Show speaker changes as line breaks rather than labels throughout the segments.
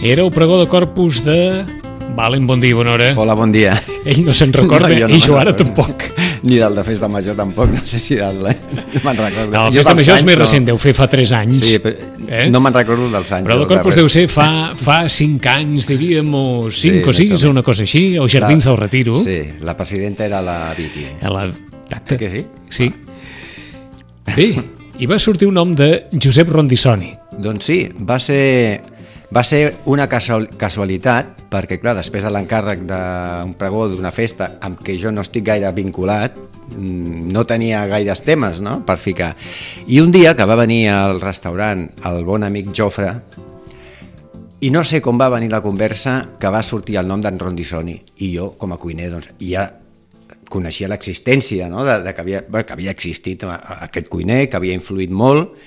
Era el pregó de Corpus de... Valen, bon dia, bona hora.
Hola, bon dia.
Ell no se'n recorda,
jo
i jo ara tampoc.
Ni del de Festa Major tampoc, no sé si del... me'n recordo.
No, el Festa Major és més recent, deu fer fa 3 anys.
Sí, però no me'n recordo dels anys.
Però de Corpus deu ser fa 5 anys, diríem, o 5 o 6, o una cosa així, o Jardins del Retiro.
Sí, la presidenta era la Vicky.
Exacte.
Que sí?
Sí. Bé, i va sortir un nom de Josep Rondisoni.
Doncs sí, va ser una casualitat, perquè clar, després de l'encàrrec d'un pregó d'una festa amb què jo no estic gaire vinculat, no tenia gaires temes, no?, per ficar. I un dia que va venir al restaurant el bon amic Jofre, i no sé com va venir la conversa, que va sortir el nom d'en Rondisoni, i jo, com a cuiner, doncs, ja coneixia l'existència, no?, que havia existit aquest cuiner, que havia influït molt,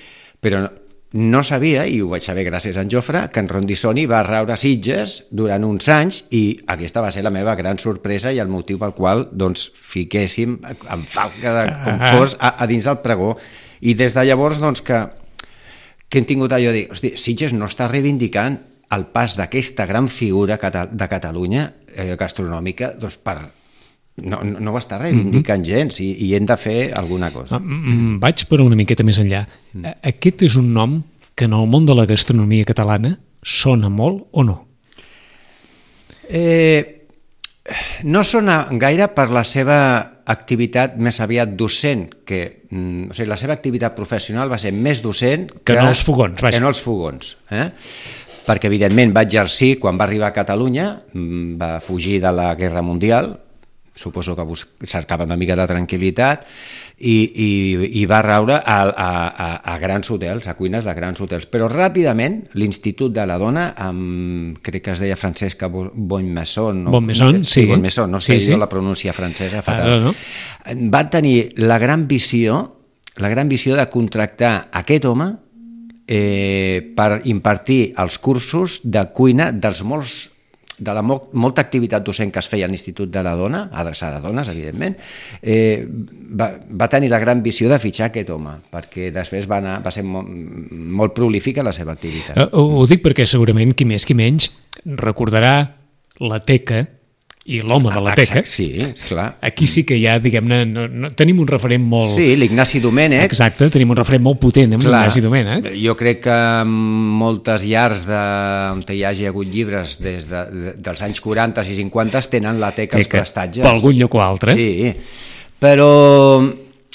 però no sabia, i ho vaig saber gràcies a en Jofre, que en Rondisoni va raure a Sitges durant uns anys, i aquesta va ser la meva gran sorpresa i el motiu pel qual doncs, fiquéssim en falca com fos a dins del pregó. I des de llavors doncs, que hem tingut allò de dir, hosti, Sitges no està reivindicant el pas d'aquesta gran figura de Catalunya gastronòmica doncs, no ho està reivindicant gens i hem de fer alguna cosa.
Vaig per una miqueta més enllà. Aquest és un nom que en el món de la gastronomia catalana sona molt o no?
No sona gaire per la seva activitat més aviat docent, o sigui, la seva activitat professional va ser més docent
que no els fogons.
Que no els fogons, perquè evidentment va exercir quan va arribar a Catalunya, va fugir de la Guerra Mundial, suposo que cercava una mica de tranquil·litat i va raure a grans hotels, a cuines de grans hotels. Però ràpidament l'Institut de la Dona, crec que es deia Francesca Bonnemaison,
sí.
Bonnemaison, no sé, jo la pronúncia francesa fatal. Va tenir la gran visió de contractar aquest home per impartir els cursos de cuina de la molta activitat docent que es feia a l'Institut de la Dona, adreçada a dones, evidentment, va tenir la gran visió de fitxar aquest home, perquè després va ser molt prolífica la seva activitat.
Ho dic perquè segurament qui més qui menys recordarà la teca i l'home de la teca.
Sí, esclar.
Aquí sí que ja, diguem-ne, tenim un referent molt...
Sí, l'Ignasi Domènech.
Exacte, tenim un referent molt potent amb l'Ignasi Domènech.
Jo crec que moltes llars on hi hagi hagut llibres dels anys 40 i 50 tenen la teca als prestatges.
Per algun lloc o altre.
Sí, però...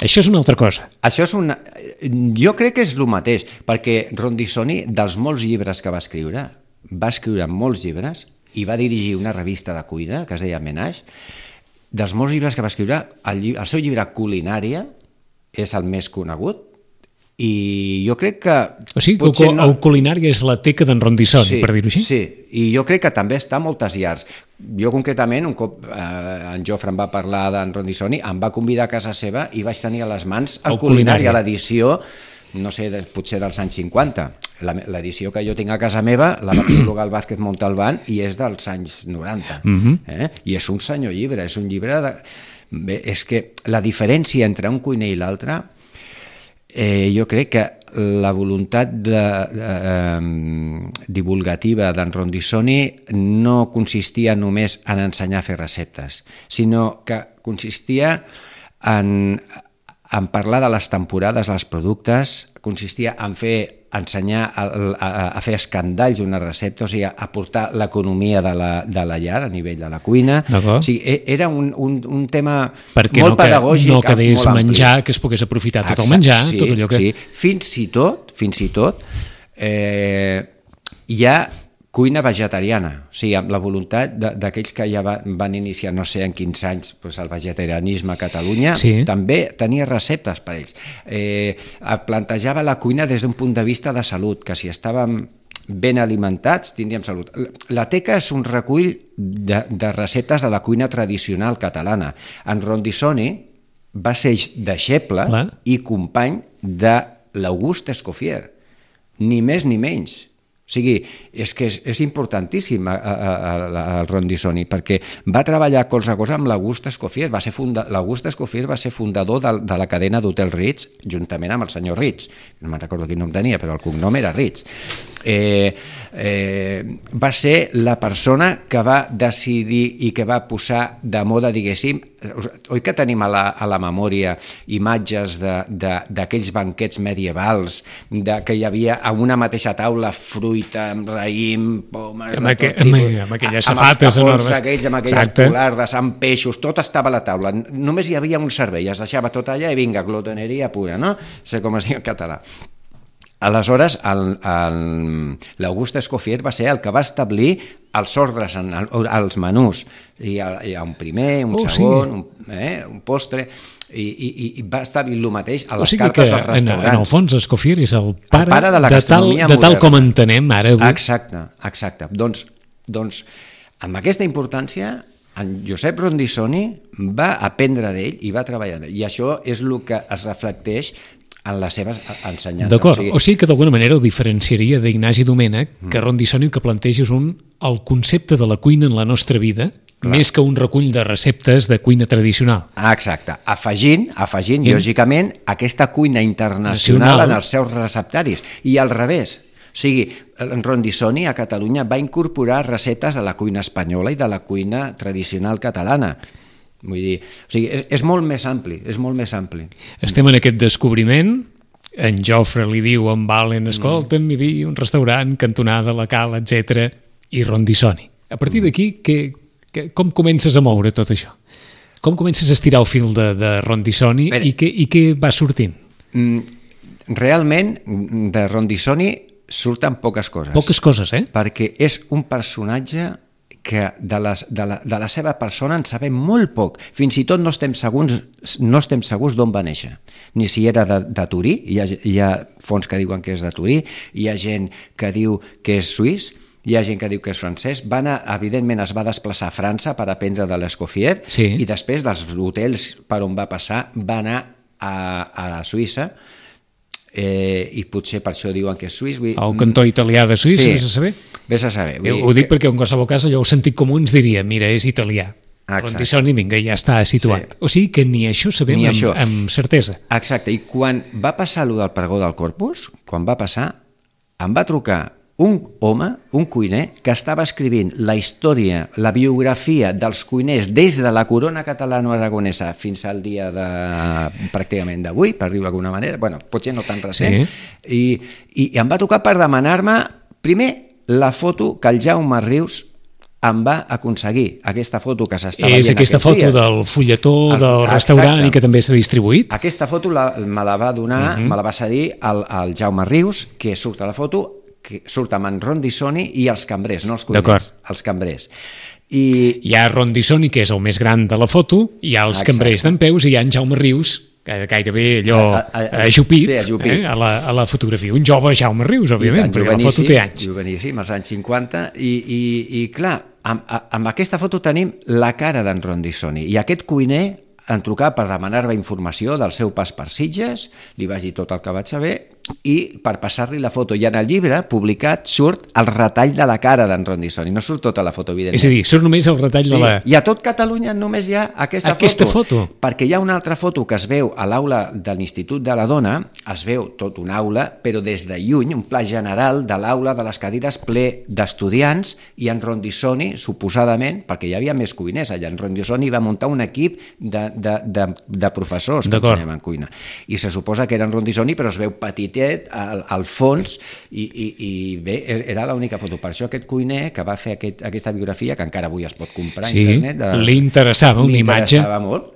Això és una altra cosa.
Jo crec que és el mateix, perquè Rondisoni, dels molts llibres que va escriure molts llibres, i va dirigir una revista de cuina que es deia Menage. Dels molts llibres que va escriure, el seu llibre Culinària és el més conegut, i jo crec que...
O sigui, el Culinària és la teca d'en Rondisoni, per dir-ho així?
Sí, i jo crec que també està a moltes llars. Jo concretament, un cop en Jofre em va parlar d'en Rondisoni, em va convidar a casa seva i vaig tenir a les mans el Culinària, l'edició, no sé, potser dels anys 50. L'edició que jo tinc a casa meva la va prologar el Vázquez Montalbán i és dels anys 90. I és un senyor llibre, és un llibre de... Bé, és que la diferència entre un cuiner i l'altre, jo crec que la voluntat divulgativa d'en Rondisoni no consistia només en ensenyar a fer receptes, sinó que consistia en parlar de les temporades dels productes, consistia en ensenyar a fer escandalls d'una recepta, o sigui, a portar l'economia de la llar a nivell de la cuina. O sigui, era un tema molt pedagògic.
No quedés menjar, que es pogués aprofitar tot el menjar, tot allò que...
Sí, fins i tot, hi ha cuina vegetariana, o sigui, amb la voluntat d'aquells que ja van iniciar, no sé en quins anys, el vegetarianisme a Catalunya, també tenia receptes per ells. Plantejava la cuina des d'un punt de vista de salut, que si estàvem ben alimentats tindríem salut. La teca és un recull de receptes de la cuina tradicional catalana. En Rondisoni va ser deixeble i company de l'August Escoffier, ni més ni menys. O sigui, és que és importantíssim el Rondisoni, perquè va treballar colze a colze amb l'August Escoffier. L'August Escoffier va ser fundador de la cadena d'Hotel Ritz, juntament amb el senyor Ritz. No me'n recordo quin nom tenia, però el cognom era Ritz. Va ser la persona que va decidir i que va posar de moda, diguéssim, oi que tenim a la memòria imatges d'aquells banquets medievals, que hi havia a una mateixa taula fruita, amb raïm, pomes,
amb aquelles safates enormes,
amb aquelles polardes, amb peixos, tot estava a la taula. Només hi havia un servei, es deixava tot allà i vinga, glotoneria pura, no? No sé com es diu en català. Aleshores, l'August Escoffier va ser el que va establir els ordres als menús. Hi ha un primer, un segon, un postre, i va establir el mateix a les cartes dels restaurants.
En el fons, Escoffier és el pare de la gastronomia moderna. De tal com entenem ara avui.
Exacte. Doncs, amb aquesta importància, en Josep Rondisoni va aprendre d'ell i va treballar amb ell. I això és el que es reflecteix en les seves ensenyances.
D'acord, o sigui que d'alguna manera ho diferenciaria d'Ignasi Domènech, que Rondisoni el que planteja és el concepte de la cuina en la nostra vida, més que un recull de receptes de cuina tradicional.
Exacte, afegint, lògicament, aquesta cuina internacional en els seus receptaris, i al revés. O sigui, en Rondisoni a Catalunya va incorporar receptes de la cuina espanyola i de la cuina tradicional catalana. Vull dir, o sigui, és molt més ampli,
Estem en aquest descobriment, en Jofre li diu a en Valen, escolta'm, hi havia un restaurant, cantonada, la Cal, etc. i Rondisoni. A partir d'aquí, com comences a moure tot això? Com comences a estirar el fil de Rondisoni i què va sortint?
Realment, de Rondisoni surten poques coses.
Poques coses,
Perquè és un personatge que de la seva persona en sabem molt poc. Fins i tot no estem segurs d'on va néixer. Ni si era de Turí, hi ha fonts que diuen que és de Turí, hi ha gent que diu que és suís, hi ha gent que diu que és francès. Evidentment es va desplaçar a França per aprendre de l'Escoffier, i després dels hotels per on va passar va anar a Suïssa, i potser per això diuen que és suís.
El cantó italià de Suïssa, vés a saber?
Vés a saber.
Ho dic perquè en qualsevol cas allò el sentit comú ens diria, mira, és italià. Rondisoni, vinga, ja està situat. O sigui que ni això sabem amb certesa.
Exacte, i quan va passar allò del pregó del Corpus, em va trucar un home, un cuiner, que estava escrivint la història, la biografia dels cuiners des de la corona catalano-aragonesa fins al dia pràcticament d'avui, per dir-ho d'alguna manera, potser no tan recent, i em va trucar per demanar-me, primer, la foto que el Jaume Rius em va aconseguir, aquesta foto que s'està veient aquests dies. És aquesta
foto del fulletó del restaurant i que també s'ha distribuït?
Aquesta foto me la va donar, me la va cedir el Jaume Rius, que surt a la foto, que surt amb en Rondisoni i els cambrers, no els cuiners, els cambrers.
Hi ha Rondisoni, que és el més gran de la foto, hi ha els cambrers d'empeus i hi ha en Jaume Rius, gairebé allò ajupit a la fotografia. Un jove Jaume Rius, òbviament, perquè la foto té anys.
Joveníssim, als anys 50, i clar, amb aquesta foto tenim la cara d'en Rondisoni, i aquest cuiner em trucava per demanar-me informació del seu pas per Sitges, li vaig dir tot el que vaig saber, i per passar-li la foto. I en el llibre publicat surt el retall de la cara d'en Rondisoni, no surt tota la foto, evidentment.
És a dir, surt només el retall de la...
I a tot Catalunya només hi ha aquesta foto. Perquè hi ha una altra foto que es veu a l'aula de l'Institut de la Dona, es veu tot una aula, però des de lluny, un pla general de l'aula de les cadires ple d'estudiants, i en Rondisoni, suposadament, perquè hi havia més cuiners allà, en Rondisoni va muntar un equip de professors que ensenyaven cuina. I se suposa que era en Rondisoni, però es veu petitet al fons, i bé, era l'única foto. Per això aquest cuiner que va fer aquesta biografia, que encara avui es pot comprar a internet...
Li interessava una imatge.
Li interessava molt.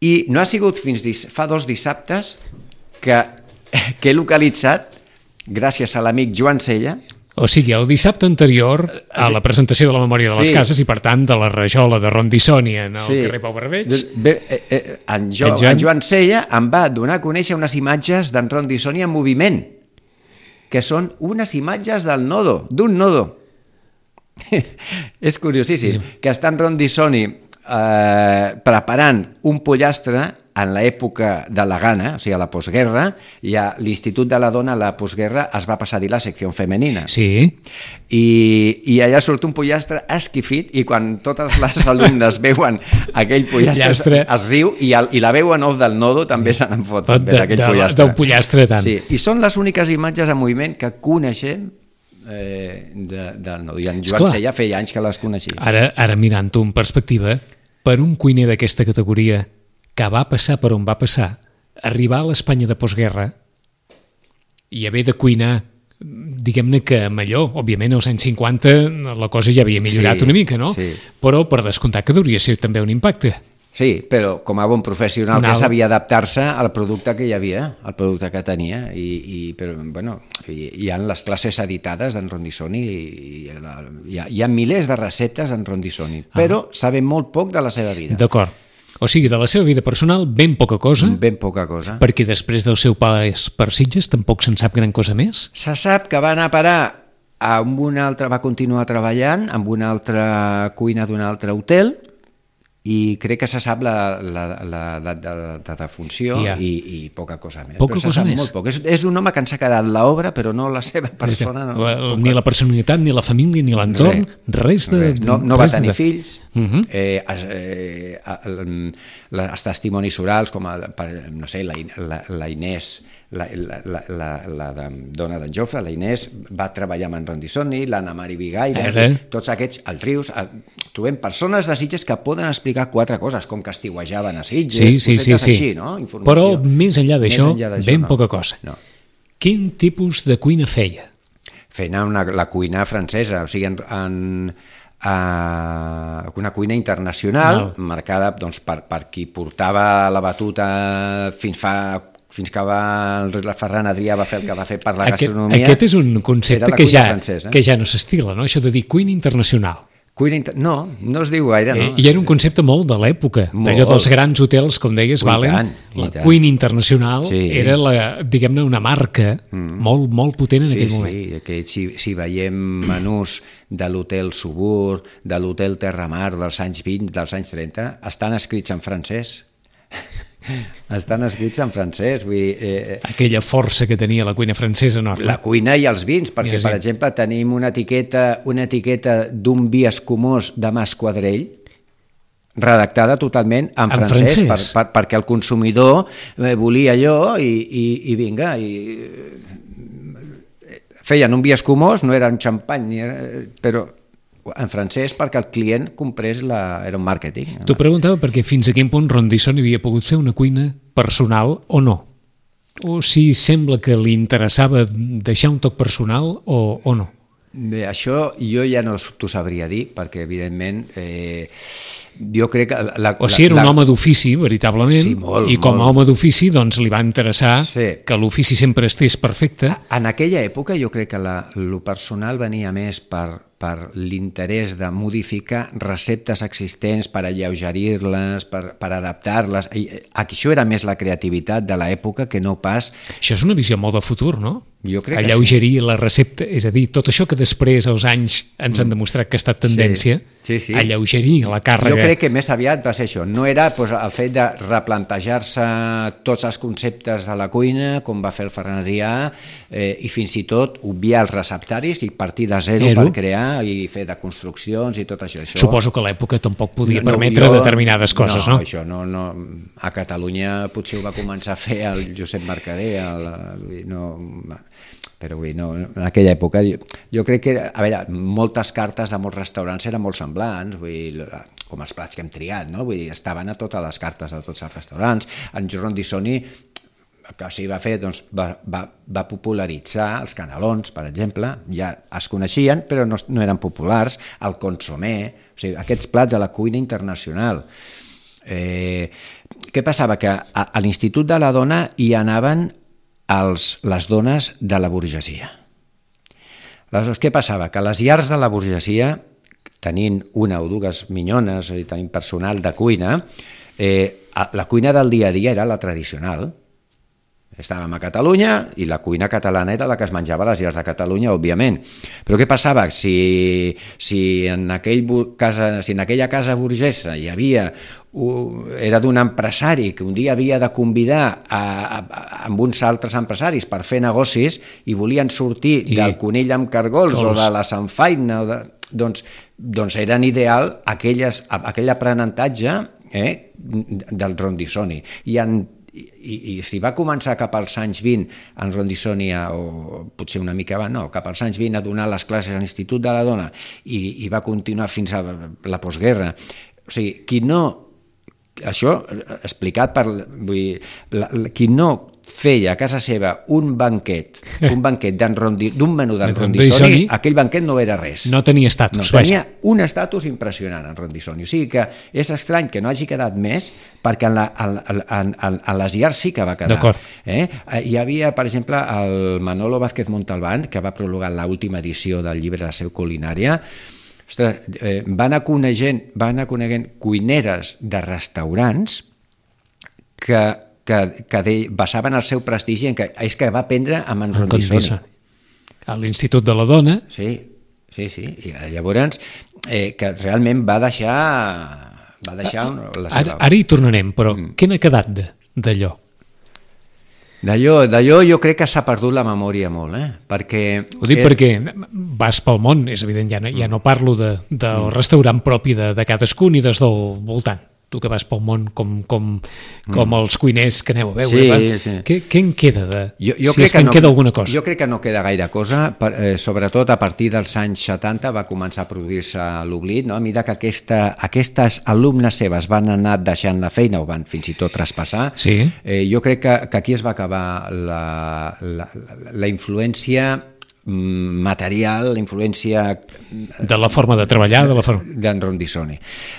I no ha sigut fins fa 2 dissabtes que he localitzat, gràcies a l'amic Joan Sella.
O sigui, el dissabte anterior a la presentació de la Memòria de les Cases i, per tant, de la rajola de Rondisoni en el carrer Pau Barbeig.
En Joan Sella em va donar a conèixer unes imatges d'en Rondisoni en moviment, que són unes imatges del nodo, d'un nodo. És curiosíssim, que està en Rondisoni preparant un pollastre en l'època de la gana, o sigui, a la postguerra, i a l'Institut de la Dona a la postguerra es va passar a dir la secció femenina.
Sí.
I allà surt un pollastre esquifit i quan totes les alumnes veuen aquell pollastre es riu i la veu en off del nodo també se n'en fot d'aquell pollastre.
Del pollastre tant.
Sí, i són les úniques imatges en moviment que coneixem del nodo. I en Joan Sella feia anys que les coneixia.
Ara mirant-ho en perspectiva, per un cuiner d'aquesta categoria que va passar per on va passar, arribar a l'Espanya de postguerra i haver de cuinar, diguem-ne que a Malló, òbviament als anys 50 la cosa ja havia millorat una mica, no? Sí. Però per descomptar que hauria ser també un impacte.
Sí, però com a bon professional que sabia adaptar-se al producte que hi havia, al producte que tenia, però, bueno, hi ha les classes editades d'en Rondisoni i hi ha milers de receptes en Rondisoni, però sabem molt poc de la seva vida.
D'acord. O sigui, de la seva vida personal, ben poca cosa.
Ben poca cosa.
Perquè després del seu pas per Sitges tampoc se'n sap gran cosa més.
Se sap que va anar a parar amb una altra, va continuar treballant amb una altra cuina d'un altre hotel i crec que se sap la de defunció i poca cosa més.
Poca cosa més.
Molt poc. És d'un home que ens ha quedat l'obra, però no la seva persona.
Ni la personalitat, ni la família, ni l'entorn, res de...
No va tenir fills. Els testimonis orals, com no sé, la Inés, la dona d'en Jofre, la Inés, va treballar amb en Rondisoni, l'Anna Mari Vigaire, tots aquests, els Rius, trobem persones de Sitges que poden explicar 4 coses, com que estiuejaven a Sitges, cosetes així, no?
Però més enllà d'això, ben poca cosa. Quin tipus de cuina feia?
Feia la cuina francesa, o sigui, una cuina internacional marcada per qui portava la batuta fins que el Ferran Adrià va fer el que va fer per la gastronomia.
Aquest és un concepte que ja no s'estila, no? Això de dir cuina internacional.
No es diu gaire, no?
I era un concepte molt de l'època, d'allò dels grans hotels, com deies, Valen, la cuina internacional era, diguem-ne, una marca molt, molt potent en aquell moment.
Sí, si veiem menús de l'hotel Subur, de l'hotel Terramar dels anys 20, dels anys 30, estan escrits en francès. Estan escrits en francès.
Aquella força que tenia la cuina francesa enorme.
La cuina i els vins, perquè, per exemple, tenim una etiqueta d'un vi escumós de Mas Quadrell, redactada totalment en francès. Perquè el consumidor volia allò i vinga, feien un vi escumós, no era un xampany, però en francès perquè el client comprés, era un màrqueting.
T'ho preguntava perquè fins a quin punt Rondisoni havia pogut fer una cuina personal o no? O si sembla que li interessava deixar un toc personal o no?
Bé, això jo ja no t'ho sabria dir, perquè evidentment jo crec que...
O sigui, era un home d'ofici, veritablement, i com a home d'ofici doncs li va interessar que l'ofici sempre estés perfecte.
En aquella època jo crec que lo personal venia més per l'interès de modificar receptes existents, per alleugerir-les, per adaptar-les. Això era més la creativitat de l'època que no pas...
Això és una visió molt de futur, no?
Jo crec que
alleugerir la recepta, és a dir, tot això que després als anys ens han demostrat que ha estat tendència, alleugerir la càrrega.
Jo crec que més aviat va ser això, no era el fet de replantejar-se tots els conceptes de la cuina, com va fer el Ferran Adrià, i fins i tot obviar els receptaris i partir de zero per crear i fer de construccions i tot això.
Suposo que a l'època tampoc podia permetre determinades coses, no?
No, això no. A Catalunya potser ho va començar a fer el Josep Mercader, però en aquella època jo crec que, a veure, moltes cartes de molts restaurants eren molt semblants, com els plats que hem triat, no? Vull dir, estaven a totes les cartes de tots els restaurants. En Rondisoni el que s'hi va fer, doncs, va popularitzar els canelons, per exemple, ja es coneixien, però no eren populars, el consomé, o sigui, aquests plats de la cuina internacional. Què passava? Que a l'Institut de la Dona hi anaven les dones de la burgesia. Aleshores, què passava? Que a les llars de la burgesia, tenint una o dues minyones, tenint personal de cuina, la cuina del dia a dia era la tradicional. Estàvem a Catalunya i la cuina catalana era la que es menjava a les llars de Catalunya, òbviament. Però què passava? Si en aquella casa burgesa hi havia era d'un empresari que un dia havia de convidar amb uns altres empresaris per fer negocis i volien sortir del conill amb cargols o de la samfaina, doncs eren ideal aquell aprenentatge del Rondisoni. I si va començar cap als anys 20 en Rondisoni, o potser una mica abans, no, cap als anys 20 a donar les classes a l'Institut de la Dona i va continuar fins a la postguerra. O sigui, això explicat per... Qui no feia a casa seva un banquet d'un menú del Rondisoni, aquell banquet no era res.
No tenia estatus.
No, tenia un estatus impressionant en Rondisoni. O sigui que és estrany que no hagi quedat més, perquè en les llars sí que va quedar.
D'acord.
Hi havia, per exemple, el Manolo Vázquez Montalbán, que va prologar l'última edició del llibre de la seu culinària. Ostres, va anar coneguent cuineres de restaurants que basaven el seu prestigi en que va aprendre amb en Rondisoni.
A l'Institut de la Dona.
Sí. I llavors, que realment va deixar la seva...
Ara hi tornarem, però què n'ha quedat d'allò?
D'allò jo crec que s'ha perdut la memòria molt, perquè...
Ho dic perquè vas pel món, és evident, ja no parlo del restaurant propi de cadascun i des del voltant. Tu que vas pel món com els cuiners que aneu a veure,
sí.
Què en queda
en
queda alguna cosa?
Jo crec que no queda gaire cosa, sobretot a partir dels anys 70 va començar a produir-se l'oblit, no? A mesura que aquestes alumnes seves van anar deixant la feina o van fins i tot traspassar, jo crec que aquí es va acabar la influència material, la influència
de la forma de treballar
d'en Rondisoni.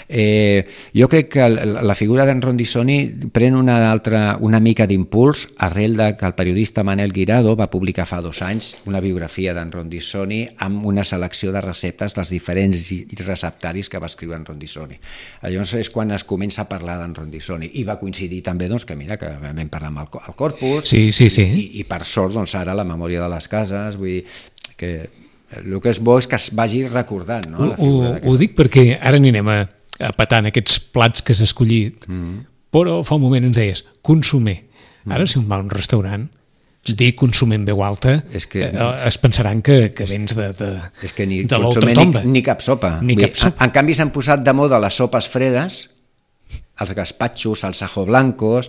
Jo crec que la figura d'en Rondisoni pren una mica d'impuls arrel de que el periodista Manel Guirado va publicar fa 2 anys una biografia d'en Rondisoni amb una selecció de receptes dels diferents receptaris que va escriure en Rondisoni. Llavors és quan es comença a parlar d'en Rondisoni i va coincidir també que vam parlar amb el Corpus i per sort ara la memòria de les cases, vull dir que el que és bo és que es vagi recordant, no?
Ho dic perquè ara anirem a petar aquests plats que has escollit, però fa un moment ens deies consomer. Ara si un va a un restaurant dir consomer en veu alta es pensaran que vens de l'ultratomba.
Ni cap sopa. En canvi s'han posat de moda les sopes fredes, els gaspatxos, els ajo blancos,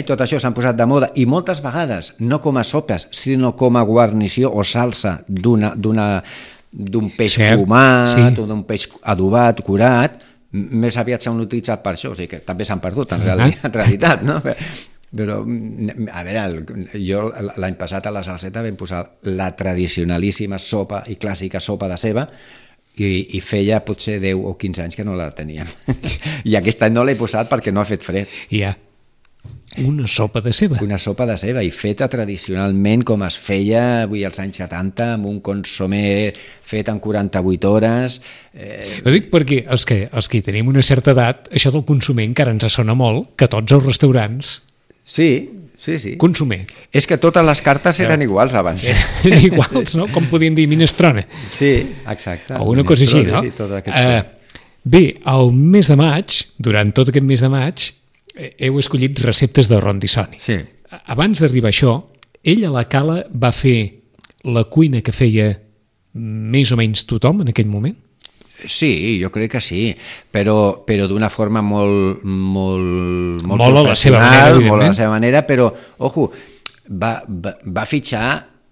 tot això s'han posat de moda i moltes vegades no com a sopes, sinó com a guarnició o salsa d'un peix fumat o d'un peix adobat, curat, més aviat s'han utilitzat per això, o sigui que també s'han perdut en realitat, no? Però, a veure, jo l'any passat a la Salseta vam posar la tradicionalíssima sopa i clàssica sopa de ceba i feia potser 10 o 15 anys que no la teníem. I aquest any no l'he posat perquè no ha fet fred.
Una sopa de ceba.
Una sopa de ceba i feta tradicionalment com es feia als anys 70 amb un consomé fet en 48 hores.
Ho dic perquè els que tenim una certa edat, això del consomé encara ens sona molt, que tots els restaurants...
Sí.
Consomer.
És que totes les cartes eren iguals abans.
Eren iguals, no? Com podien dir minestrone.
Sí, exacte.
O una cosa així, no? Bé, al mes de maig, durant tot aquest mes de maig, heu escollit receptes de Rondisoni.
Sí.
Abans d'arribar a això, ell a la Cala va fer la cuina que feia més o menys tothom en aquell moment?
Sí, jo crec que sí, però d'una forma molt
a la seva manera,
molt a la seva manera, però, ojo, va fitxar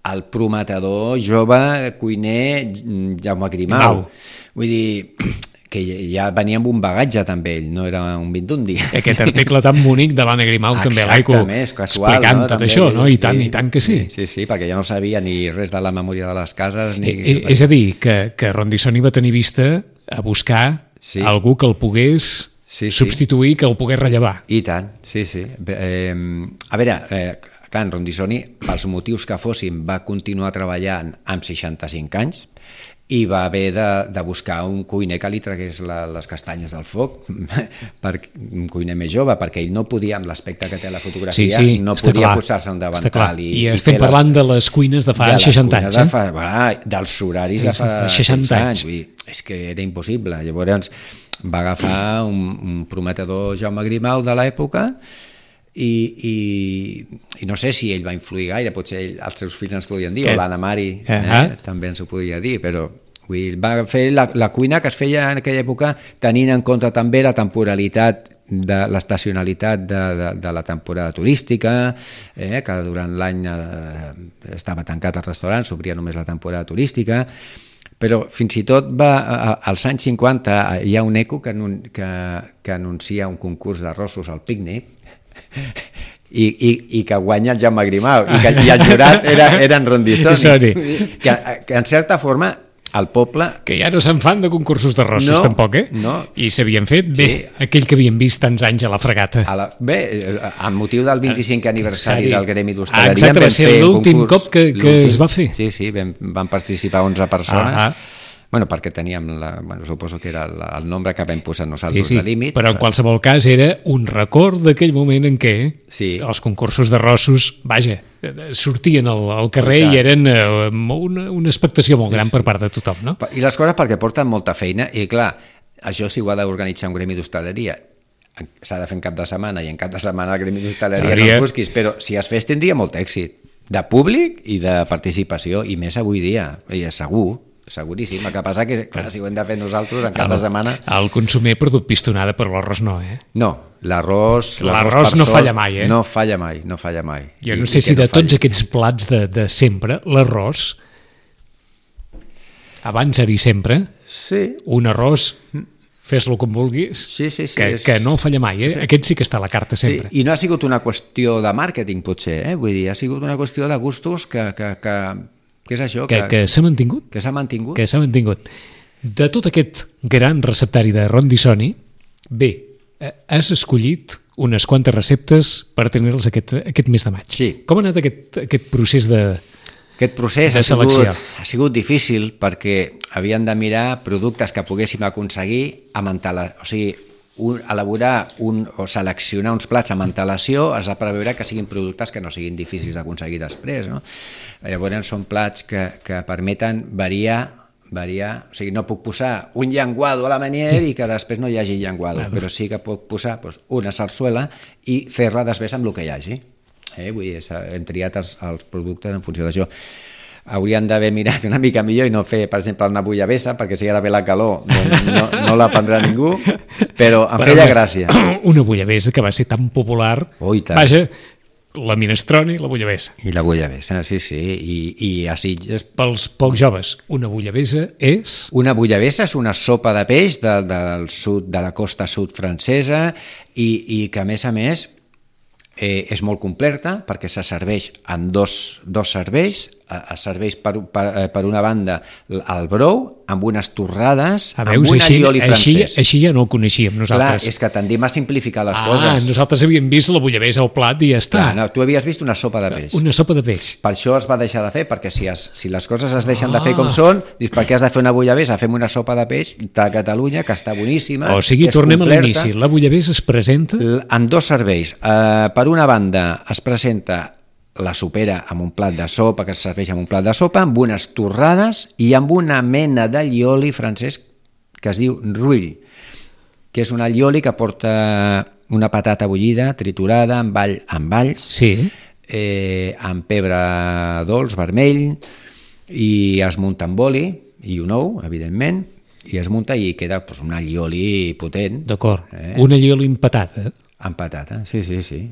el prometedor jove cuiner Jaume Grimau. Vull dir que ja venia amb un bagatge també ell, no era un vint d'un dia.
Aquest article tan bonic de l'Anna Grimau també l'Aico explicant tot això, no? I tant que sí.
Sí, perquè ja no sabia ni res de la memòria de les cases.
És a dir, que Rondisoni va tenir vista a buscar algú que el pogués substituir, que el pogués rellevar.
I tant, sí. A veure, clar, en Rondisoni, pels motius que fossin, va continuar treballant amb 65 anys. i va haver de buscar un cuiner que li tragués les castanyes del foc, un cuiner més jove, perquè ell no podia, amb l'aspecte que té la fotografia, no podia posar-se un davantal.
I estem parlant de les cuines de fa 60 anys.
Dels horaris de fa 60 anys. És que era impossible. Llavors va agafar un prometedor Jaume Grimau de l'època i no sé si ell va influir gaire, potser els seus fills ens podien dir, o l'Anna Mari també ens ho podia dir, però va fer la cuina que es feia en aquella època tenint en compte també la temporalitat, l'estacionalitat de la temporada turística, que durant l'any estava tancat el restaurant, s'obria només la temporada turística, però fins i tot als anys 50 hi ha un eco que anuncia un concurs d'arrossos al pícnic i que guanya el Jaume Grimau i el jurat era en Rondissoni, que en certa forma el poble...
Que ja no se'n fan de concursos d'arrossos tampoc,
No.
I s'havien fet bé, aquell que havien vist tants anys a la fregata.
Bé, amb motiu del 25è aniversari del Gremi d'Hostaleria...
Exacte, va ser l'últim cop que es va fer.
Sí, van participar 11 persones... Bueno, perquè teníem, suposo que era el nombre que vam posar nosaltres de límit.
Però en qualsevol cas era un record d'aquell moment en què els concursos d'arrossos, sortien al carrer i eren una expectació molt gran per part de tothom, no?
I les coses perquè porten molta feina i clar, això si ho ha d'organitzar un gremi d'hostaleria s'ha de fer en cap de setmana i en cap de setmana el gremi d'hostaleria no els busquis, però si es fes tindria molt èxit de públic i de participació i més avui dia, i és seguríssim, el que passa que clar, si ho hem de fer nosaltres en cap de setmana...
El consumer perdut pistonada, però l'arròs no,
No, l'arròs
no falla mai,
No falla mai.
Jo no sé si de tots aquests plats de sempre, l'arròs, abans era i sempre, un arròs, fes-lo com vulguis, que no falla mai, Aquest sí que està a la carta sempre.
I no ha sigut una qüestió de màrqueting, potser, vull dir, ha sigut una qüestió de gustos que és això?
Que s'ha mantingut.
Que s'ha mantingut.
Que s'ha mantingut. De tot aquest gran receptari de Rondissoni, has escollit unes quantes receptes per tenir-les aquest mes de maig.
Sí.
Com ha anat aquest procés de
Aquest procés
de selecció?
Ha sigut difícil perquè havien de mirar productes que poguéssim aconseguir elaborar o seleccionar uns plats amb antelació has de preveure que siguin productes que no siguin difícils d'aconseguir després, no? Llavors són plats que permeten variar, o sigui, no puc posar un llenguado a la Meunier i que després no hi hagi llenguado, però sí que puc posar una sarsuela i fer-la després amb el que hi hagi. Vull dir, hem triat els productes en funció d'això. Haurien d'haver mirat una mica millor i no fer, per exemple, una bullabessa, perquè si ara ve la calor no la prendrà ningú, però em feia gràcia.
Una bullabessa que va ser tan popular, vaja, la minestrone i la bullabessa.
I la bullabessa, sí, i a Sitges...
Pels pocs joves, una bullabessa és...
Una bullabessa és una sopa de peix del sud, de la costa sud francesa i que, a més, és molt completa perquè se serveix en dos serveis. Es serveix per una banda el brou amb unes torrades amb un allioli francès.
Així ja no ho coneixíem nosaltres.
Clar, és que tendim a simplificar les coses.
Nosaltres havíem vist la bullabessa al plat i ja està.
Clar, no, tu havies vist una sopa de peix.
Una sopa de peix.
Per això es va deixar de fer, perquè si les coses es deixen de fer com són, dius, per què has de fer una bullabessa? Fem una sopa de peix de Catalunya, que està boníssima.
O sigui, tornem a l'inici. La bullabessa es presenta...
En dos serveis. Per una banda es presenta la sopera amb un plat de sopa, que es serveix amb un plat de sopa, amb unes torrades i amb una mena d'allioli francès que es diu rouille, que és un allioli que porta una patata bullida, triturada, amb alls, amb pebre dolç, vermell, i es munta amb oli i un ou, evidentment, i es munta i queda un allioli potent.
D'acord, un allioli amb patata.
Amb patata, sí.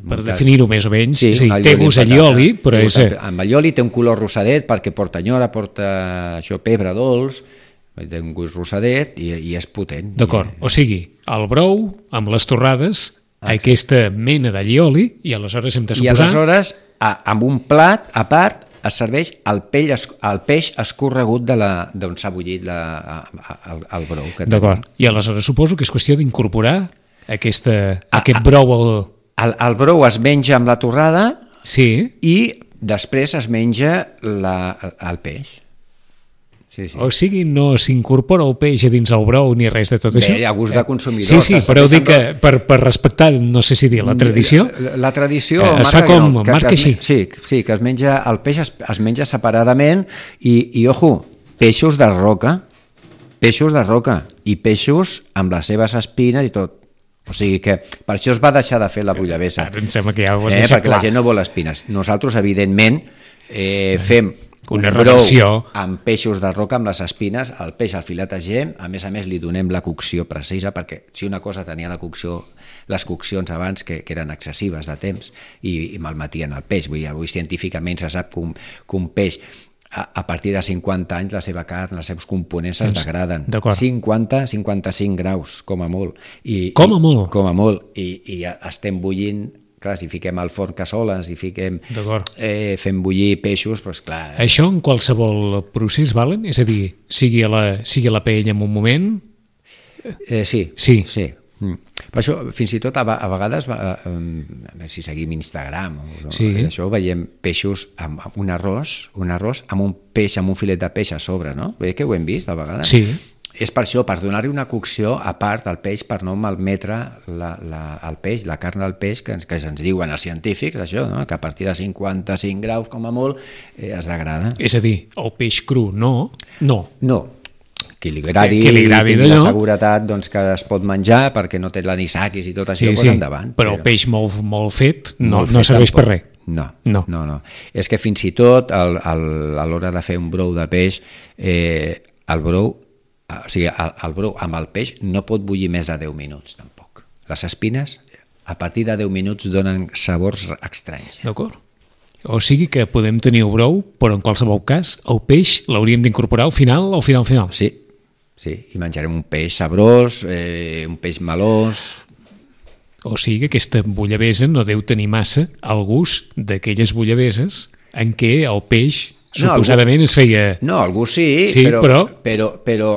Per definir-ho més o menys, és a dir, té gust allioli, però és...
Amb allioli té un color rosadet perquè porta nyora, porta pebre dolç, té un gust rosadet i és potent.
D'acord, o sigui, el brou amb les torrades, aquesta mena d'allioli, i aleshores hem de suposar...
I aleshores, amb un plat a part, es serveix el peix escorregut d'on s'ha bullit el brou.
D'acord, i aleshores suposo que és qüestió d'incorporar aquest brou...
El brou es menja amb la torrada i després es menja el peix. Sí, sí.
O sigui, no s'incorpora el peix a dins el brou ni res de tot això?
Bé, a gust de consumidor.
Sí, però dic que per respectar, no sé si dir, la tradició...
La tradició
es fa com, marca així.
Sí, que es menja, el peix es menja separadament i ojo, peixos de roca i peixos amb les seves espines i tot. O sigui que per això es va deixar de fer la bullabessa.
Ara em sembla que ja ho has deixat
perquè
clar.
la gent no vol espines. Nosaltres, evidentment, fem
una
brou
relació
amb peixos de roca amb les espines, el peix al filetegem, a més li donem la cocció precisa, perquè si una cosa tenia la cocció, les coccions abans que eren excessives de temps i malmetien el peix. Avui científicament se sap que un peix a partir de 50 anys la seva carn, els seus components es degraden. 50-55 graus, com a molt. Com a molt. I estem bullint. Clar, si fiquem al forn cassoles i fem bullir peixos, doncs clar...
Això en qualsevol procés valen? És a dir, sigui a la paella en un moment?
Sí. Per això, fins i tot, a vegades, si seguim Instagram, això veiem peixos amb un arròs amb un peix, amb un filet de peix a sobre, no? Veig que ho hem vist, a vegades?
Sí.
És per això, per donar-li una cocció a part al peix, per no malmetre el peix, la carn del peix, que ens diuen els científics, això, no? Que a partir de 55 graus, com a molt, es degrada.
És a dir, el peix cru no? No.
Qui li agradi tingui la seguretat que es pot menjar perquè no té l'anisakis i tot això, endavant.
Però el peix molt fet no serveix per res.
No. És que fins i tot a l'hora de fer un brou de peix, el brou amb el peix no pot bullir més de 10 minuts, tampoc. Les espines, a partir de 10 minuts, donen sabors estranys.
D'acord. O sigui que podem tenir el brou, però en qualsevol cas, el peix l'hauríem d'incorporar al final.
Sí, i menjarem un peix sabrós, un peix melós...
O sigui que aquesta bullabessa no deu tenir massa el gust d'aquelles bullabeses en què el peix... Suposadament es feia...
No, algú sí, però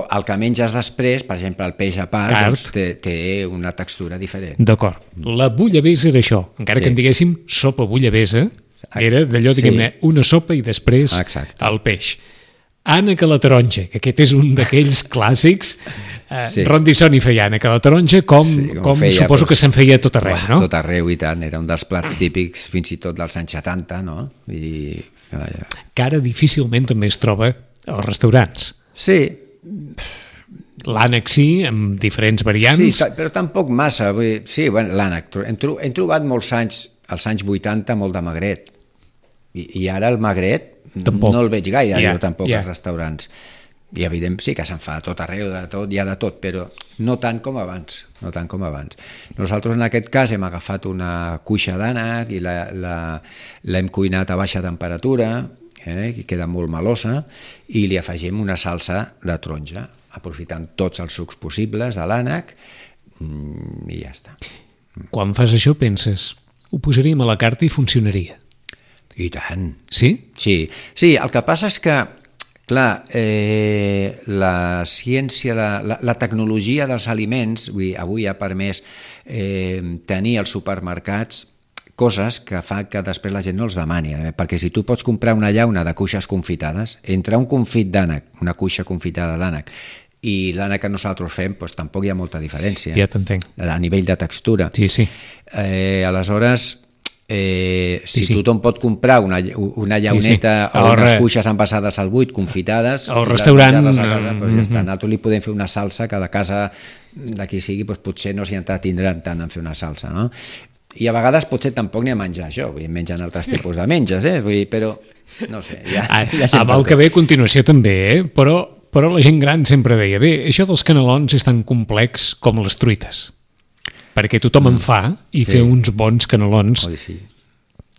el que menges després, per exemple, el peix a part, té una textura diferent.
D'acord. La bullabessa era això. Encara que en diguéssim sopa bullabessa, era d'allò, diguem-ne, una sopa i després el peix. Ànec a la taronja, que aquest és un d'aquells clàssics. Ron Dissoni feia ànec a la taronja, com suposo que se'n feia a tot arreu, no?
A tot arreu, i tant. Era un dels plats típics, fins i tot dels anys 70, no?
Que ara difícilment també es troba als restaurants.
Sí.
L'ànec sí, amb diferents variants.
Sí, però tampoc massa. Sí, l'ànec. Hem trobat molts anys, als anys 80, molt de magret. I ara el magret no el veig gaire, jo tampoc als restaurants. I evident sí que se'n fa a tot arreu, hi ha de tot, però no tant com abans. Nosaltres en aquest cas hem agafat una cuixa d'ànec i l'hem cuinat a baixa temperatura, que queda molt melosa, i li afegim una salsa de taronja, aprofitant tots els sucs possibles de l'ànec, i ja està.
Quan fas això penses, ho posaríem a la carta i funcionaria?
I tant.
Sí?
Sí, el que passa és que, clar, la ciència, la tecnologia dels aliments, avui ha permès tenir als supermercats coses que fa que després la gent no els demani, perquè si tu pots comprar una llauna de cuixes confitades, entre un confit d'ànec, una cuixa confitada d'ànec, i l'ànec que nosaltres fem, doncs tampoc hi ha molta diferència.
Ja t'entenc.
A nivell de textura.
Sí.
Aleshores, si tothom pot comprar una llauneta o unes cuixes envasades al buit, confitades,
al restaurant,
nosaltres li podem fer una salsa que a la casa d'aquí sigui, potser no s'hi entretindran tant en fer una salsa, no? I a vegades potser tampoc n'hi ha a menjar això, mengen altres tipus de menges, però no sé.
Amb el que ve a continuació també, però la gent gran sempre deia, això dels canelons és tan complex com les truites, perquè tothom en fa i fer uns bons canelons.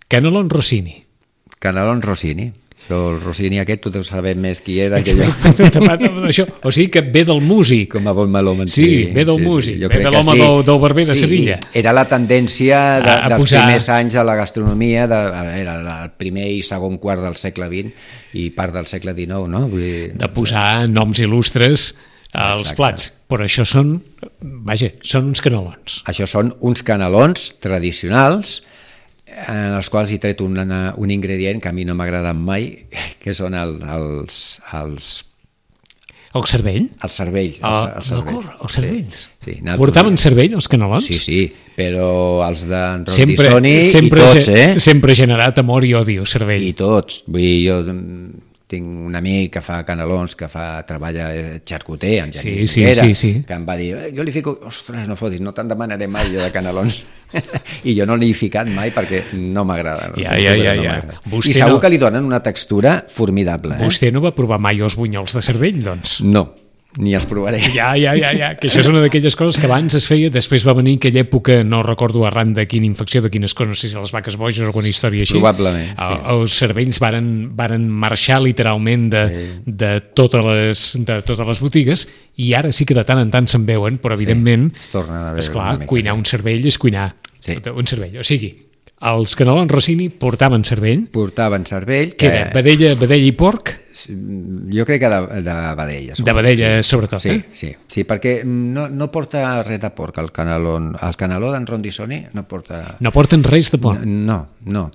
Canelon Rossini.
Canelon Rossini. Però el Rossini aquest tu deus saber més qui era que jo.
O sigui que ve del músic.
Com a bon melòman.
Sí, ve del músic, ve de l'home del barber de Sevilla.
Era la tendència dels primers anys a la gastronomia, era el primer i segon quart del segle XX i part del segle XIX, no?
De posar noms il·lustres als plats, però això són uns canelons.
Això són uns canelons tradicionals en els quals he tret un ingredient que a mi no m'ha agradat mai, que són els
El cervell?
El cervell.
D'acord, els cervells.
Sí,
portaven cervell, els canelons?
Sí, però els d'en Rondisoni i tots,
Sempre ha generat amor i odi, el cervell.
I tots. Vull dir, jo tinc un amic que fa canelons, que treballa xarcuter, en Genís Rivera, que em va dir, jo li fico, ostres, no fotis, no te'n demanaré mai jo de canelons. I jo no l'he ficat mai perquè no m'agrada.
Ja.
I segur que li donen una textura formidable.
Vostè no va provar mai els bunyols de cervell, doncs?
No, ni els provaré.
Ja, que això és una d'aquelles coses que abans es feia, després va venir aquella època, no recordo arran de quina infecció, de quines coses, no sé si les vaques boges o alguna història així.
Probablement, sí.
Els cervells varen marxar literalment de totes les botigues, i ara sí que de tant en tant se'n veuen, però evidentment,
es tornen a veure,
esclar, cuinar un cervell és cuinar un cervell. O sigui, els canelons Rossini portaven cervell.
Que
era vedella i porc.
Jo crec que de vedella.
De vedella, sobretot,
Sí, perquè no porta res de porc, el caneló d'en Rondisoni no porta...
No porten res de porc?
No.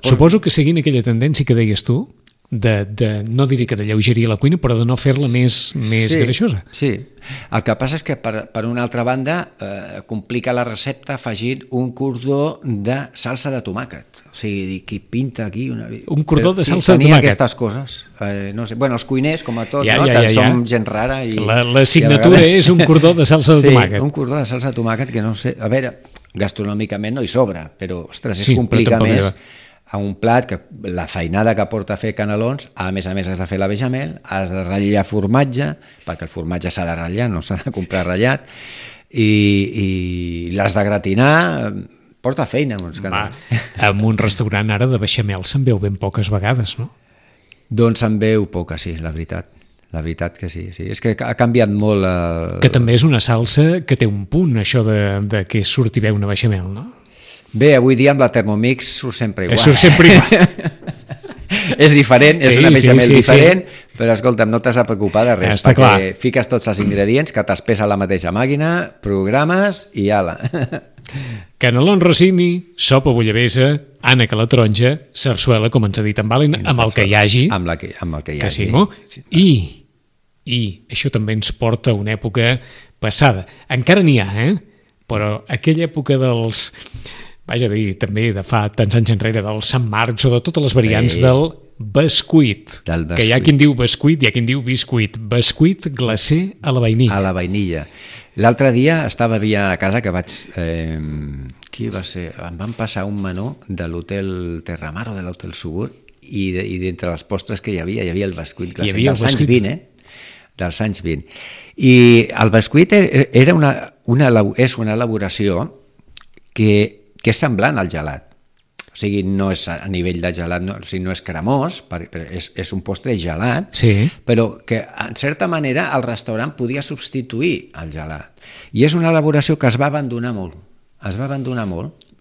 Suposo que seguint aquella tendència que deies tu, no diré que de lleugeria la cuina, però de no fer-la més greixosa.
Sí, el que passa és que per una altra banda complica la recepta afegint un cordó de salsa de tomàquet. O sigui, qui pinta aquí...
Un cordó de salsa de tomàquet.
Tenia aquestes coses. No sé. Bueno, els cuiners, com a tots, que som gent rara.
La signatura és un cordó de salsa de tomàquet.
Sí, un cordó de salsa de tomàquet que no sé... A veure, gastronòmicament no hi sobra, però, ostres, es complica més... a un plat que la feinada que porta a fer canelons, a més has de fer la bechamel, has de ratllar formatge, perquè el formatge s'ha de ratllar, no s'ha de comprar ratllat, i l'has de gratinar, porta feina.
En un restaurant ara de bechamel se'n veu ben poques vegades, no?
Doncs se'n veu poca, sí, la veritat. La veritat que sí. És que ha canviat molt...
Que també és una salsa que té un punt, això de que surti bé una bechamel, no?
Bé, avui dia amb la Thermomix surt sempre igual.
Surt sempre igual.
És diferent, és una bechamel diferent, però escolta'm, no t'has de preocupar de res, perquè fiques tots els ingredients que t'espesa a la mateixa màquina, programes i ala.
Canelons Rossini, sopa bullabessa, ànec a la taronja, sarsuela, com ens ha dit en Valen, amb el que hi hagi.
Amb el que hi hagi.
I això també ens porta a una època passada. Encara n'hi ha, però aquella època dels... Vaja a dir, també de fa tants anys enrere, del Sant Marcs o de totes les variants del bescuit. Que hi ha qui en diu bescuit i hi ha qui en diu biscuit. Bescuit glacé a la vainilla.
A la vainilla. L'altre dia estava a casa que vaig... qui va ser? Em van passar un menú de l'hotel Terramar o de l'hotel Subur i d'entre les postres que hi havia el bescuit glacé dels anys 20, dels anys 20. I el bescuit és una elaboració que és semblant al gelat. O sigui, no és a nivell de gelat, no és cremós, és un postre gelat, però que, en certa manera, el restaurant podia substituir el gelat. I és una elaboració que es va abandonar molt.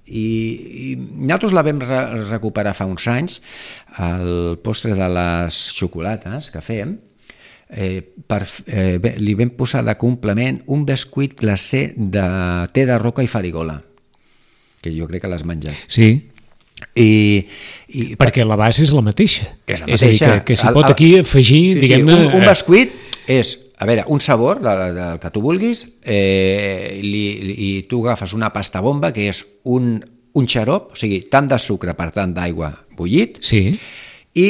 I nosaltres la vam recuperar fa uns anys, el postre de les xocolates que fem, li vam posar de complement un bescuit glacé de te de roca i farigola, que jo crec que l'has menjat.
Sí. Perquè la base és la mateixa.
És la mateixa.
És a dir, que s'hi pot aquí afegir, diguem-ne...
Un bescuit és, a veure, un sabor del que tu vulguis, i tu agafes una pasta bomba, que és un xarop, o sigui, tant de sucre per tant d'aigua bullit, i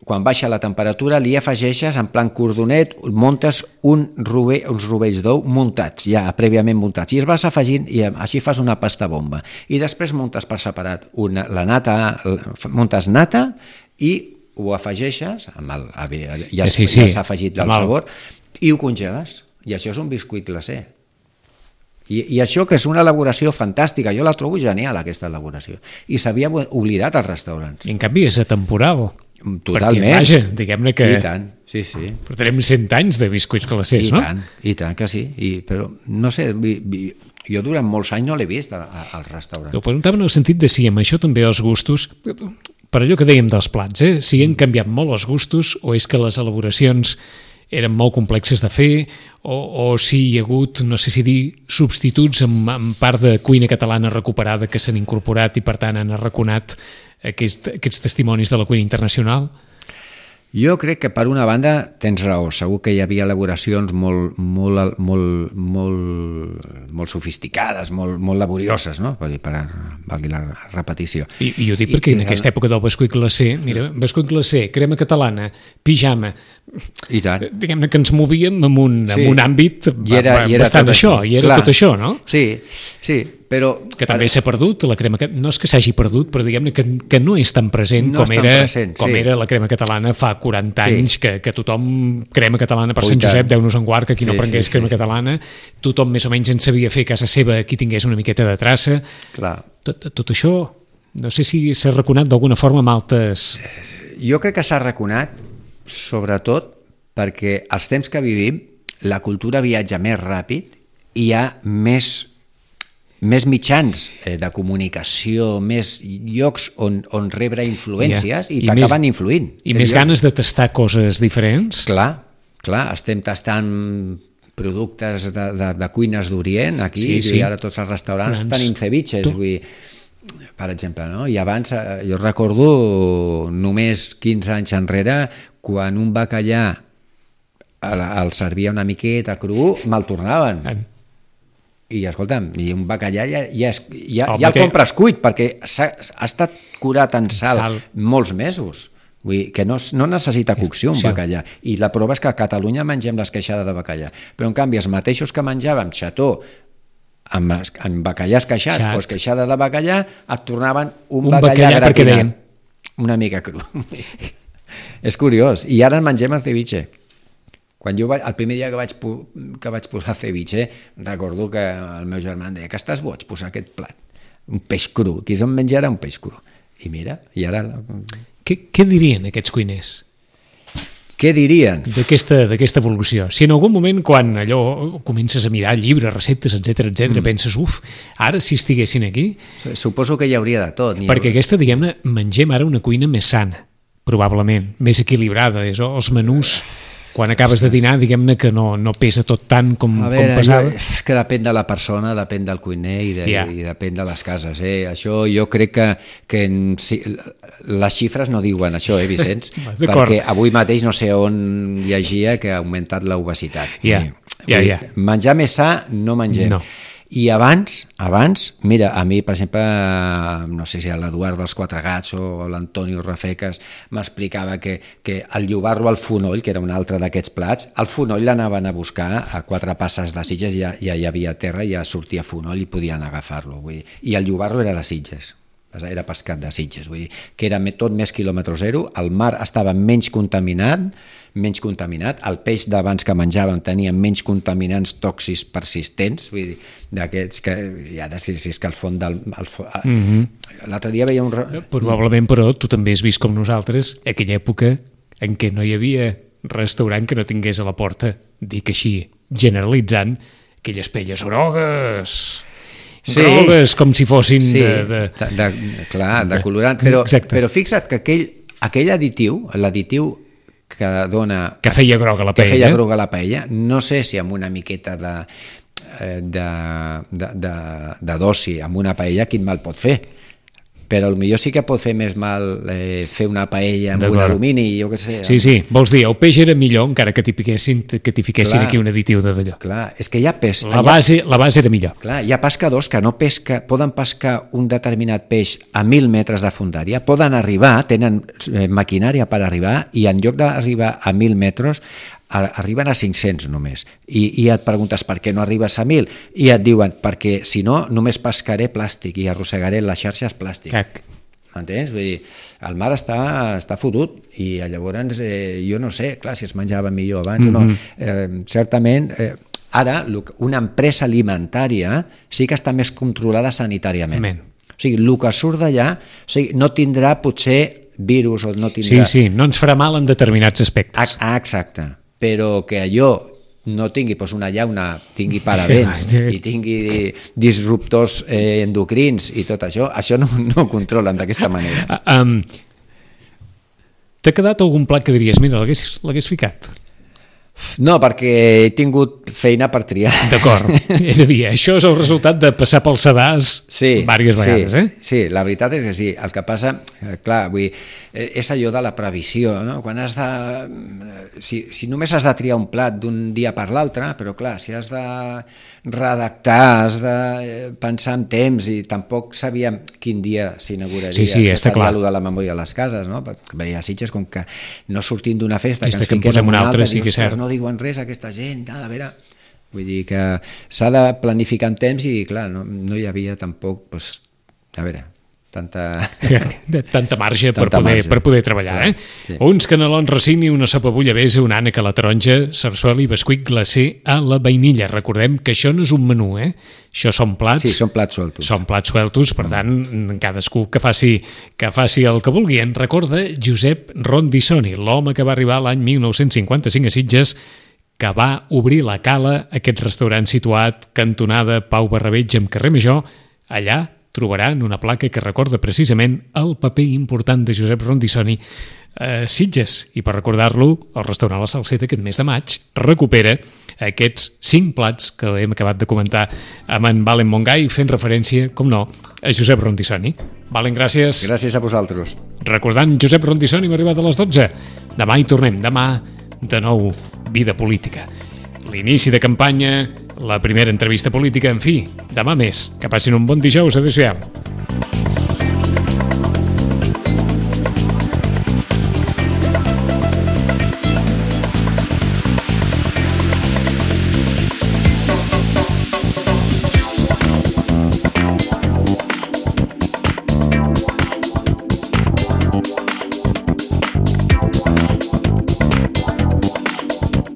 quan baixa la temperatura li afegeixes en plan cordonet, muntes uns rovells d'ou muntats, ja prèviament muntats, i els vas afegint i així fas una pasta bomba. I després muntes per separat la nata, muntes nata i ho afegeixes, ja s'ha afegit el sabor, i ho congeles. I això és un biscuit glacé. I això que és una elaboració fantàstica, jo la trobo genial, aquesta elaboració. I s'havia oblidat als restaurants.
I en canvi és atemporal.
Totalment.
Perquè, vaja, diguem-ne que...
I tant, sí.
Portarem 100 anys de biscuits glacers, no?
I tant que sí. Però, no sé, jo durant molts anys no l'he vist als restaurants.
Ho preguntava en el sentit de si amb això també els gustos, per allò que dèiem dels plats, si han canviat molt els gustos o és que les elaboracions eren molt complexes de fer o si hi ha hagut, no sé si dir, substituts en part de cuina catalana recuperada que s'han incorporat i per tant han arraconat aquests testimonis de la cuina internacional?
Jo crec que per una banda tens raó, segur que hi havia elaboracions molt sofisticades, molt laborioses, no? Valgui la repetició.
I jo dic perquè en aquesta època del bescuit glacé, mira, bescuit glacé, crema catalana, pijama,
i tant.
Diguem-ne que ens movíem en un àmbit bastant
tot
això, i era tot això, no?
Sí, però...
Que també s'ha perdut, la crema, no és que s'hagi perdut, però diguem-ne que no és tan present com era la crema catalana fa 40 anys, que tothom, crema catalana per Sant Josep, Déu-nos en guard, que qui no prengués crema catalana, tothom més o menys en sabia fer a casa seva, qui tingués una miqueta de traça.
Clar.
Tot això, no sé si s'ha reconat d'alguna forma amb altes...
Jo crec que s'ha reconat, sobretot, perquè als temps que vivim, la cultura viatja més ràpid i hi ha més mitjans de comunicació, més llocs on rebre influències i t'acaben influint.
I més ganes de tastar coses diferents.
Clar, estem tastant productes de cuines d'Orient aquí, i ara tots els restaurants tenim ceviches, per exemple, no? I abans, jo recordo només 15 anys enrere, quan un bacallà el servia una miqueta cru, me'l tornaven. I escolta'm, i un bacallà ja el compres cuit, perquè ha estat curat en sal molts mesos. Vull dir que no necessita cocció un bacallà. I la prova és que a Catalunya mengem l'esqueixada de bacallà. Però en canvi els mateixos que menjàvem xató amb bacallà esqueixat o esqueixada de bacallà et tornaven un bacallà gratinat una mica cru. És curiós. I ara mengem el ceviche. El primer dia que vaig posar ceviche, recordo que el meu germà em deia que estàs boig posar aquest plat, un peix cru, qui se'n menjarà un peix cru? I mira, i ara...
Què dirien aquests cuiners?
Què dirien?
D'aquesta evolució. Si en algun moment, quan allò comences a mirar llibres, receptes, etc, penses, ara si estiguessin aquí...
Suposo que hi hauria de tot.
Perquè aquesta, diguem-ne, mengem ara una cuina més sana, probablement, més equilibrada, els menús... Quan acabes de dinar, diguem-ne que no pesa tot tant com pesava.
Que depèn de la persona, depèn del cuiner i depèn de les cases. Això jo crec que les xifres no diuen això, Vicenç? Perquè avui mateix no sé on llegia que ha augmentat l'obesitat. Menjar més sa no mengem. No. I abans, mira, a mi, per exemple, no sé si l'Eduard dels Quatre Gats o l'Antonio Rafecas m'explicava que el llobarro al fonoll, que era un altre d'aquests plats, el fonoll l'anaven a buscar a 4 passes de Sitges, ja hi havia terra, ja sortia fonoll i podien agafar-lo. I el llobarro era de Sitges, era pescat de Sitges, vull dir que era tot més quilòmetre zero, el mar estava menys contaminat, el peix d'abans que menjàvem tenia menys contaminants tòxics persistents, vull dir, d'aquests que, i ara si és que al fons del... L'altre dia veia un...
Probablement, però, tu també has vist com nosaltres aquella època en què no hi havia restaurant que no tingués a la porta, dic així, generalitzant, aquelles pelles grogues... grogues, com si fossin
de colorant, però fixa't que aquell additiu, l'additiu que dona...
Que feia groga la paella.
No sé si amb una miqueta de dosi, amb una paella, quin mal pot fer. Però potser sí que pot fer més mal fer una paella amb un alumini, jo què sé.
Sí, vols dir, el peix era millor encara que t'hi fiquessin aquí un additiu d'allò.
Clar, és que hi ha pes...
La base era millor.
Clar, hi ha pescadors que no poden pescar un determinat peix a 1.000 metres de fondària, poden arribar, tenen maquinària per arribar, i en lloc d'arribar a 1.000 metres, arriben a 500 només, i et preguntes per què no arribes a 1.000, i et diuen perquè si no només pescaré plàstic i arrossegaré les xarxes plàstic. Entens? Vull dir, el mar està fotut i llavors jo no sé, clar, si es menjava millor abans o no. Certament ara una empresa alimentària sí que està més controlada sanitàriament. O sigui, el que surt d'allà no tindrà potser virus o no tindrà...
Sí, no ens farà mal en determinats aspectes.
Exacte. Però que allò no tingui una llauna, tingui parabens i tingui disruptors endocrins i tot això no ho controlen d'aquesta manera.
T'ha quedat algun plat que diries, mira, l'hagués ficat?
No, perquè he tingut feina per triar.
D'acord. És a dir, això és el resultat de passar pel sedàs diverses vegades, eh?
Sí, la veritat és que sí. El que passa, clar, vull dir, és allò de la previsió, no? Quan has de... Si només has de triar un plat d'un dia per l'altre, però clar, si has de redactar, has de pensar en temps, i tampoc sabíem quin dia s'inauguraria.
Sí, està clar.
Allò de la memòria de les cases, no? Perquè a Sitges, com que no sortim d'una festa,
que ens fiquem en una altra, sí que és cert.
No diuen res aquesta gent, a veure... Vull dir que s'ha de planificar en temps i, clar, no hi havia tampoc, doncs, a veure,
tanta marge per poder treballar, eh? Sí. Uns canelons Rossini, una sopa bullabesa, una ànec a la taronja, sarsuela i bescuit glacé a la vainilla. Recordem que això no és un menú, eh? Això són plats...
Sí, són plats sueltos.
Són plats sueltos, per tant, cadascú que faci el que vulgui. En recorda Josep Rondissoni, l'home que va arribar l'any 1955 a Sitges, que va obrir la Cala, aquest restaurant situat cantonada Pau Barrabeig amb carrer Major. Allà trobaran una placa que recorda precisament el paper important de Josep Rondissoni a Sitges. I per recordar-lo, el restaurant La Salseta aquest mes de maig recupera aquests 5 plats que hem acabat de comentar amb en Valen Montgai, fent referència, com no, a Josep Rondissoni. Valen, gràcies.
Gràcies a vosaltres.
Recordant Josep Rondissoni, hem arribat a les 12. Demà hi tornem. Demà, de nou, Vida Política. L'inici de campanya, la primera entrevista política, en fi, demà més. Que passin un bon dijous. Adéu-siau.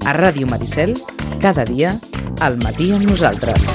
A Ràdio Maricel, cada dia, al matí amb nosaltres.